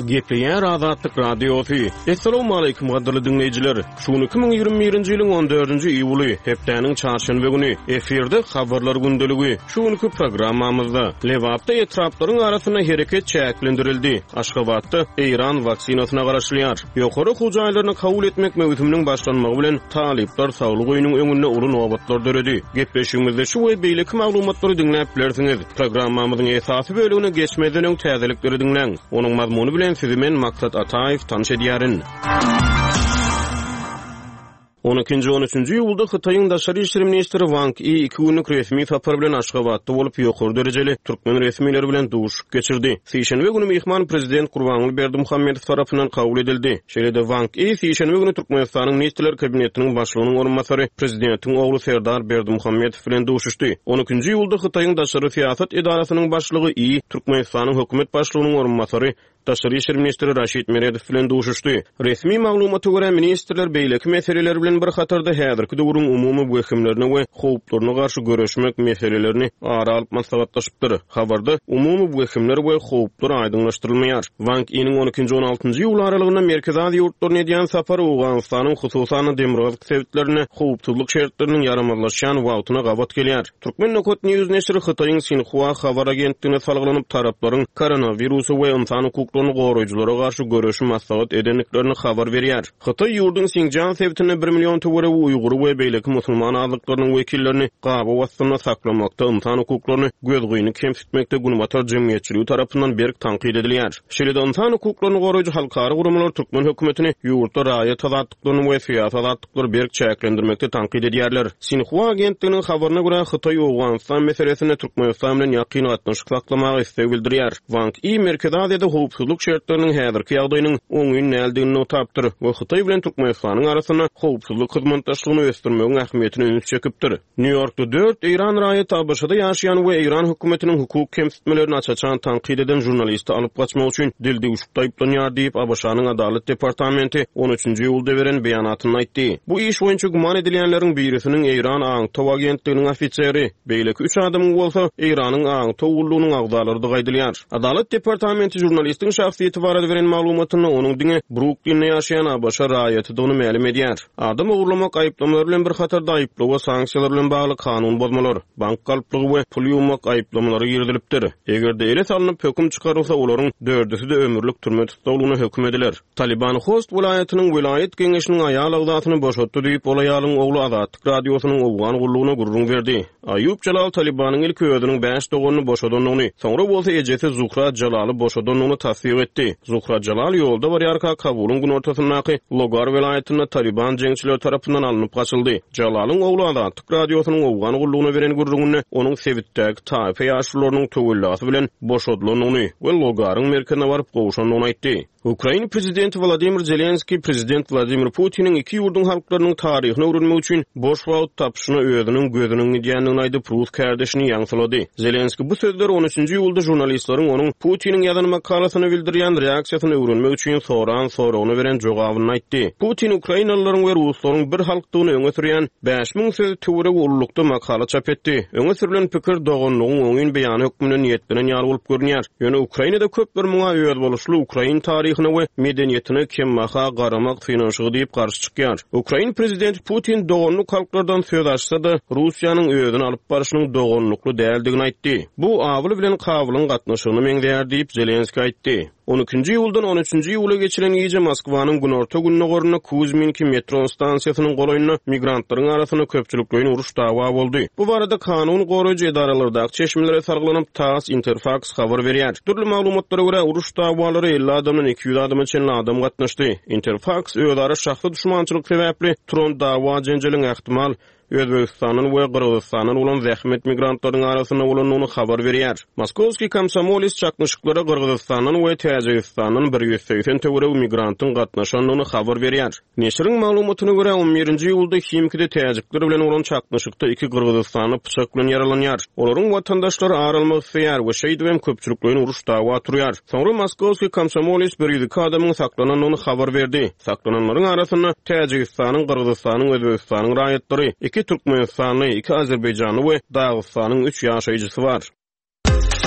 Gepleýär Azatlyk Radiosy. Essalawmaleýkim gadyrly diňleýjiler! Şu gün 2021-nji ýylyň on dördünji iýuly, hepdäniň çarşenbe güni. Efirde Habarlar gündeligi. Şu günki programmamyzda, Lebapda etraplaryň arasynda hereket çäklendirildi, Aşgabatda Eýran waksinasyna garaşylýar. Ýokary okuw jaýlaryna kabul etmek möwsüminiň başlanmagy bilen, talyplar saglyk öýüniň öňünde uly nobatlar döredi. Gepleşigimizde şu we beýleki maglumatlary diňläp bilersiňiz. Programmamyzyň esasy bölegine geçmezden öň täzelikleri diňläň. Onuň mazmuny bilen sizi men Maksat Ataýew tanyş edýärin. On ikinji, on üçünji iýulda Hytaýyň daşary işler ministri Wang I iki günlük resmi sapar bilen Aşgabatda bolup, ýokary derejeli türkmen resmileri bilen duşuşyk geçirdi. Sişenbe güni myhman prezident Gurbanguly Berdimuhamedow tarapyndan kabul edildi. Şeýle-de Wang I sişenbe güni Türkmenistanyň Ministrler Kabinetiniň Başlygynyň orunbasary, prezidentiň ogly Serdar Berdimuhamedow bilen duşuşdy. On ikinji iýulda Hytaýyň daşary syýasat edarasynyň başlygy I Türkmenistanyň hökümet başlygynyň orunbasary, daşary işler ministri Raşid Meredow bilen duşuşdy. Resmi maglumata görä, ministrler beýleki meseleler bilen bir hatarda häzirki döwrüň umumy wehimlerine we howplaryna garşy göreşmek meselelerini ara alyp maslahatlaşypdyr. Habarda umumy wehimler we howplar aýdyňlaşdyrylmaýar. Wang Iniň on ikinji-on altynjy iýul aralygynda Merkezi Aziýa ýurtlaryna edýän sapary Owganystanyň, hususan-da, demirgazyk sebitlerinde howpsuzlyk şertleriniň ýaramazlaşýan wagtyna gabat gelýär. Turkmen Nokat News neşiri Hytaýyň Sinhua habar agentligine salgylanyp, taraplaryň koronawirusa we ynsan hukuklaryny goraýjylara garşy göreşi maslahat edendiklerini habar berýär. Hytaý ýurduň Sinjan sebitinde bir million töweregi uýgury we beýleki musulman azlyklarynyň wekillerini gabaw astynda saklamakda ynsan hukuklaryny gözgyny kemsitmekde günbatar jemgyýetçiligi tarapyndan berk tankyt edilýär. Şeýle-de ynsan hukuklaryny goraýjy halkara guramalar türkmen hökümetini ýurtda raýat azatlyklaryny we syýasy azatlyklary berk çäklendirmekde tankyt edýärler. Sinhua agentliginiň habaryna görä, Hytaý Owganystan meselesinde Türkmenistan bilen ýakyn gatnaşyk saklamaga isleg bildirýär. Wang I Merkezi Aziýada howpsuzlyk şertleriniň häzirki ýagdaýynyň oňyn däldigini nygtapdyr we Hytaý bilen Türkmenistanyň arasynda howpsuzlyk hyzmatdaşlygyny ösdürmegiň ähmiýetine üns çekipdir. Nýu-Ýorkda dört eýran raýaty ABŞ-da ýaşaýan we eýran hökümetiniň hukuk kemsitmelerini aç-açan tankyt eden žurnalisti alyp gaçmak üçin dildüwşükde aýyplanýar diýip, ABŞ-nyň Adalat departamenti on üçünji iýulda beren beýanatynda aýtdy. Bu iş boýunça güman edilýänleriň birisiniň eýran aňtaw agentliginiň ofiseri, beýleki üç adamyň bolsa Eýranyň aňtaw gullugynyň agzalarydygy aýdylýar. Adalat departamenti žurnalistiň şahsyýeti barada beren maglumatynda onuň diňe Bruklinde ýaşaýan ABŞ raýatydygyny mälim edýär. Adam ogurlamak aýyplamalary bilen bir hatarda aýyplawa sanksiýalar bilen bagly kanun bozmalar, bank galplygy we pul ýuwmak aýyplamalary girizilipdir. Eger-de ele salnyp, höküm çykarylsa, olaryň dördüsi-de ömürlik türme tussaglygyna höküm ediler. Talyban Host welaýatynyň welaýat geňeşiniň aýal agzasyny boşatdy diýip, ol aýalyň ogly Azatlyk Radiosynyň owgan gullugyna gürrüň berdi. Aýub Jalal Talybanyň ilki özüniň bäş doganyny boşadandygyny, soňra bolsa ejesi Zuhra Jalaly boşadandygyny tassyk etdi. Zuhra Jalal ýolda barýarka Kabulyň günortasyndaky Logar welaýatynda Talyban jeňçileri tarapyndan alnyp gaçyldy. Jalalyň ogly Azatlyk Radiosynyň owgan gullugyna beren gürrüňinde onuň sebitdäki taýpa ýaşulularynyň töwellasy bilen boşadylandygyny we Logaryň merkezine baryp gowşandygyny aýtdy. Ukraina prezidenti Wladimir Zelenskiý prezident Wladimir Putiniň iki ýurduň halklarynyň taryhyny öwrenmek üçin boş wagt tapyşyna özüniň gözüniň gidýändigini aýdyp, rus kärdeşini ýaňsylady. Zelenskiý bu sözleri on üçünji iýulda žurnalistleriň onuň Putiniň ýazan makalasyna bildirýän reaksiýasyny öwrenmek üçin soran soragyna beren jogabynda aýtdy. Putin ukrainalylaryň we ruslaryň bir halkdygyny öňe sürýän 5000 söz töweregi ululykda makala çap etdi. Öňe sürlen pikir doganlygyň oňyn beýany hökmünde niýetlenen ýaly bolup görünýär. Ýöne Ukrainada köpler muňa özboluşly ukrain taryhyna we medeniýetine kembaha garamak synanyşygy diýip garşy çykýar. Ukrain prezidenti Putin doganlyk halklardan söz açsa-da, Russiýanyň özüni alyp barşynyň doganlykly däldigini aýtdy. Bu Abyl bilen Kabylyň gatnaşygyna meňzeýär diýip, Zelenskiý aýtdy. On ikinji iýuldan on üçünji iýula geçilen gije Moskwanyň günorta-gündogarynda Kuzminki metro stansiýasynyň golaýynda migrantlaryň arasynda köpçülikleýin uruş-dawa boldy. Bu barada kanun goraýjy edaralardaky çeşmelere salgylanyp, TASS, Interfaks habar berýär. Dürli maglumatlara görä, uruş-dawalara 50 adamdan 200 adama çenli adam gatnaşdy. Interfaks özara şahsy duşmançylyk sebäpli turan dawa-jenjeliň ähtimal Özbegistandan we Gyrgyzystandan bolan zähmet migrantlarynyň arasynda bolandygyny habar berýär. Moskowskiý komsomoles çaknyşyklara Gyrgyzystandan we Täjigistandan 180 töweregi migrantyň gatnaşandygyny habar berýär. Neşiriň maglumatyna görä, on birinji iýulda Himkide täjikler bilen bolan çaknyşykda iki gyrgyzystanly pyçak bilen ýaralanýar. Olaryň watandaşlary ar almak isleýär we şeýdibem köpçülikleýin uruş-dawa turýar. Soňra Moskowskiý komsomoles 102 adamyň saklanandygyny habar berdi. Saklananlaryň arasynda Täjigistanyň, Gyrgyzystanyň, Özbegistanyň raýatlary, iki türkmenistanly, iki azerbaýjanly we Dagystanyň üç ýaşaýjysy bar.